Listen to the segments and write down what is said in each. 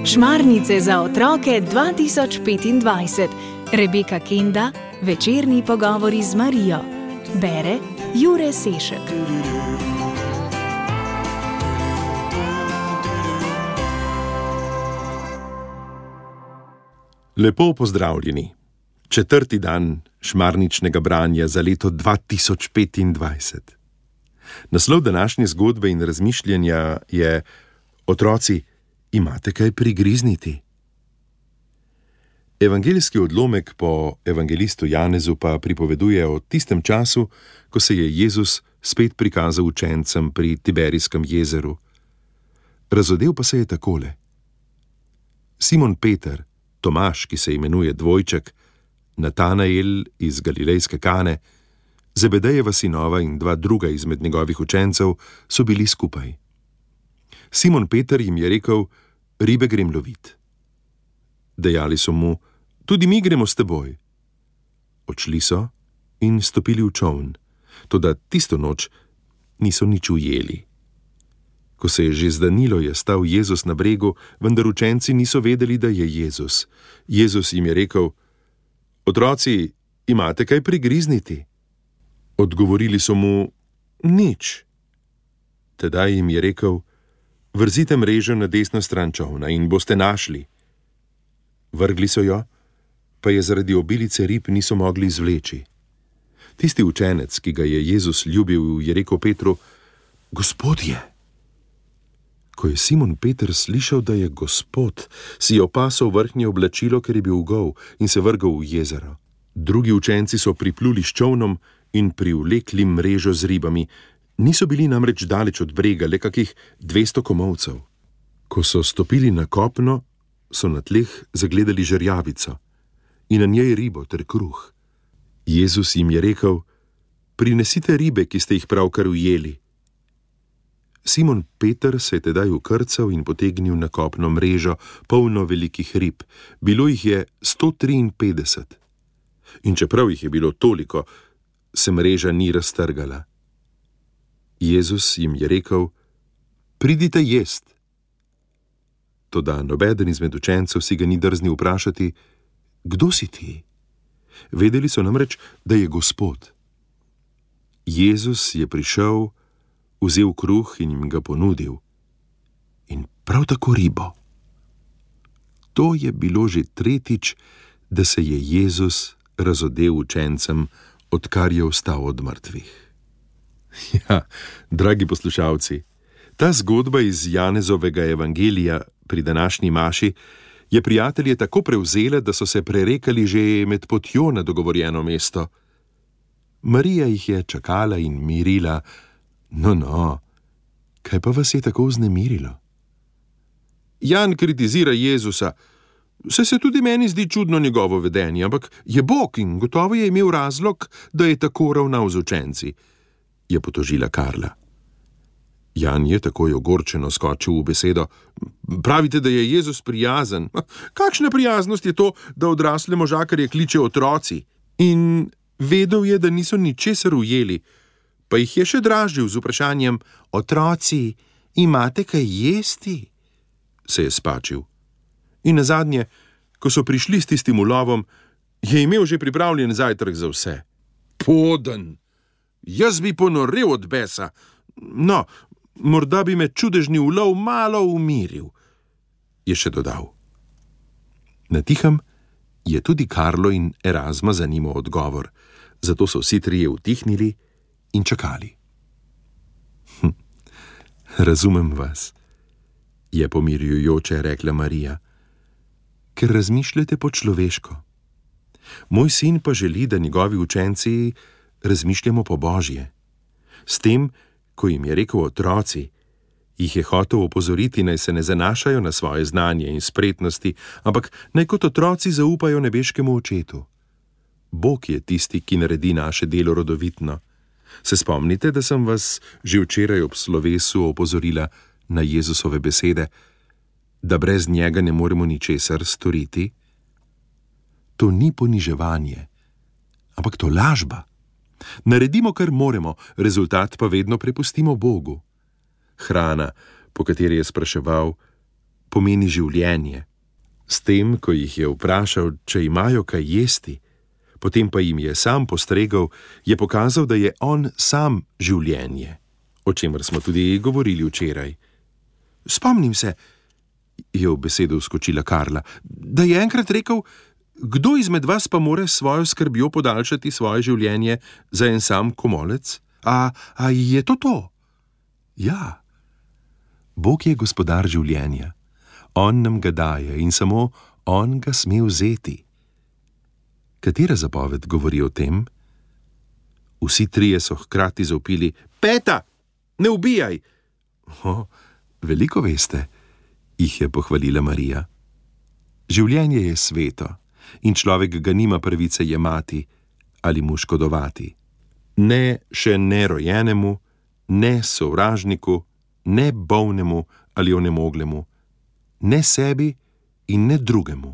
Šmarnice za otroke 2025. Rebeka Kenda, večerni pogovori z Marijo. Bere Jure Sešek. Lepo pozdravljeni. 4. dan šmarničnega branja za leto 2025. Naslov današnje zgodbe in razmišljanja je: Otroci, imate kaj prigrizniti? Evangeljski odlomek po evangelistu Janezu pa pripoveduje o tistem času, ko se je Jezus spet prikazal učencem pri Tiberijskem jezeru. Razodel pa se je takole. Simon Peter, Tomaž, ki se imenuje Dvojček, Natanael iz Galilejske Kane, Zebedejeva sinova in 2 druga izmed njegovih učencev so bili skupaj. Simon Peter jim je rekel: ribe grem lovit. Dejali so mu: tudi mi gremo s teboj. Odšli so in stopili v čoln, toda tisto noč niso nič ujeli. Ko se je že zdanilo, je stal Jezus na bregu, vendar učenci niso vedeli, da je Jezus. Jezus jim je rekel: otroci, imate kaj prigrizniti? Odgovorili so mu: nič. Tedaj jim je rekel: vrzite mrežo na desno stran čolna in boste našli. Vrgli so jo, pa je zaradi obilice rib niso mogli izvleči. Tisti učenec, ki ga je Jezus ljubil, je rekel Petru: Gospodje! Ko je Simon Peter slišal, da je Gospod, si je opasal vrhnje oblačilo, ker je bil gol, in se vrgel v jezero. Drugi učenci so pripluli s čolnom in privlekli mrežo z ribami. Niso bili namreč daleč od brega, le kakih 200 komolcev. Ko so stopili na kopno, so na tleh zagledali žerjavico in na njej ribo ter kruh. Jezus jim je rekel: prinesite ribe, ki ste jih pravkar ujeli. Simon Peter se je tedaj ukrcal in potegnil na kopno mrežo, polno velikih rib. Bilo jih je 153. In čeprav jih je bilo toliko, se mreža ni raztrgala. Jezus jim je rekel: pridite jest. Toda nobeden izmed učencev si ga ni drznil vprašati: kdo si ti? Vedeli so namreč, da je Gospod. Jezus je prišel, vzel kruh in jim ga ponudil. In prav tako ribo. To je bilo že 3. da se je Jezus razodel učencem, odkar je vstal od mrtvih. Ja, dragi poslušalci, ta zgodba iz Janezovega evangelija pri današnji maši je prijatelje tako prevzela, da so se prerekali že med potjo na dogovorjeno mesto. Marija jih je čakala in mirila: no, kaj pa vas je tako vznemirilo? Jan kritizira Jezusa. Saj se tudi meni zdi čudno njegovo vedenje, ampak je Bog in gotovo je imel razlog, da je tako ravnal z učenci, je potožila Karla. Jan je takoj ogorčeno skočil v besedo: pravite, da je Jezus prijazen. Kakšna prijaznost je to, da odrasle možakarje kliče otroci? In vedel je, da niso ničesar ujeli, pa jih je še dražil z vprašanjem: otroci, imate kaj jesti? Se je spačil. In nazadnje, ko so prišli s tistim ulovom, je imel že pripravljen zajtrk za vse. Poden! Jaz bi ponorel od besa. No, morda bi me čudežni ulov malo umiril, je še dodal. Natihem je tudi Karlo in Erazma zanimal odgovor, zato so vsi trije utihnili in čakali. Razumem vas, je pomirjujoče rekla Marija, ker razmišljate po človeško. Moj sin pa želi, da njegovi učenci razmišljamo po Božje. S tem, ko jim je rekel otroci, jih je hotel opozoriti, naj se ne zanašajo na svoje znanje in spretnosti, ampak naj kot otroci zaupajo nebeškemu očetu. Bog je tisti, ki naredi naše delo rodovitno. Se spomnite, da sem vas že včeraj ob slovesu opozorila na Jezusove besede, da brez njega ne moremo ničesar storiti? To ni poniževanje, ampak to lažba. Naredimo, kar moremo, rezultat pa vedno prepustimo Bogu. Hrana, po kateri je spraševal, pomeni življenje. S tem, ko jih je vprašal, če imajo kaj jesti, potem pa jim je sam postregel, je pokazal, da je on sam življenje, o čemer smo tudi govorili včeraj. Spomnim se, je v besedo vskočila Karla, da je enkrat rekel, kdo izmed vas pa more s svojo skrbjo podaljšati svoje življenje za en sam komolec? A je to to? Ja. Bog je gospodar življenja. On nam ga daje in samo on ga sme vzeti. Katera zapoved govori o tem? Vsi trije so hkrati zavpili: Peta, ne ubijaj! Veliko veste, jih je pohvalila Marija. Življenje je sveto in človek ga nima pravice jemati ali mu škodovati. Ne še nerojenemu, ne sovražniku, ne bolnemu ali onemoglemu, ne sebi in ne drugemu.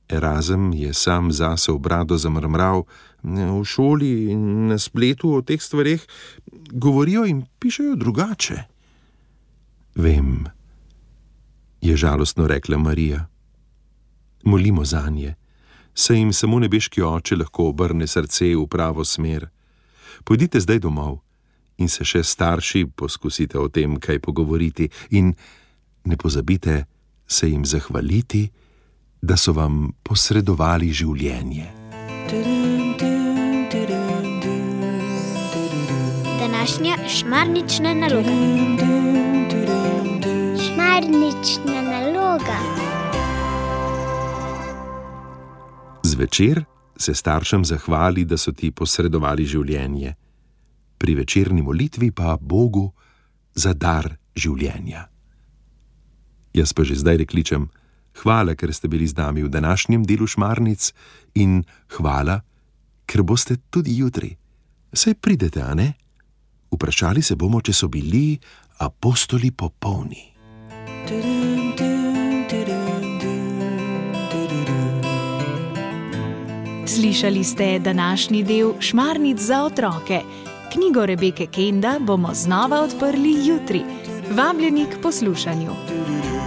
Erazem je sam zase v brado zamrmral. V šoli in na spletu o teh stvareh govorijo in pišejo drugače. Vem, je žalostno rekla Marija. Molimo zanje, saj jim samo nebeški oče lahko obrne srce v pravo smer. Pojdite zdaj domov in se še starši poskusite o tem kaj pogovoriti in ne pozabite se jim zahvaliti, da so vam posredovali življenje. Današnja šmarnična naloga. Šmarnična naloga. Zvečer se staršem zahvali, da so ti posredovali življenje. Pri večerni molitvi pa Bogu za dar življenja. Jaz pa že zdaj rekličem, hvala, ker ste bili z nami v današnjem delu Šmarnic in hvala, ker boste tudi jutri. Saj pridete, a ne? Vprašali se bomo, če so bili apostoli popolni. Slišali ste današnji del Šmarnic za otroke. Knjigo Rebeke Kenda bomo znova odprli jutri. Vabljeni k poslušanju.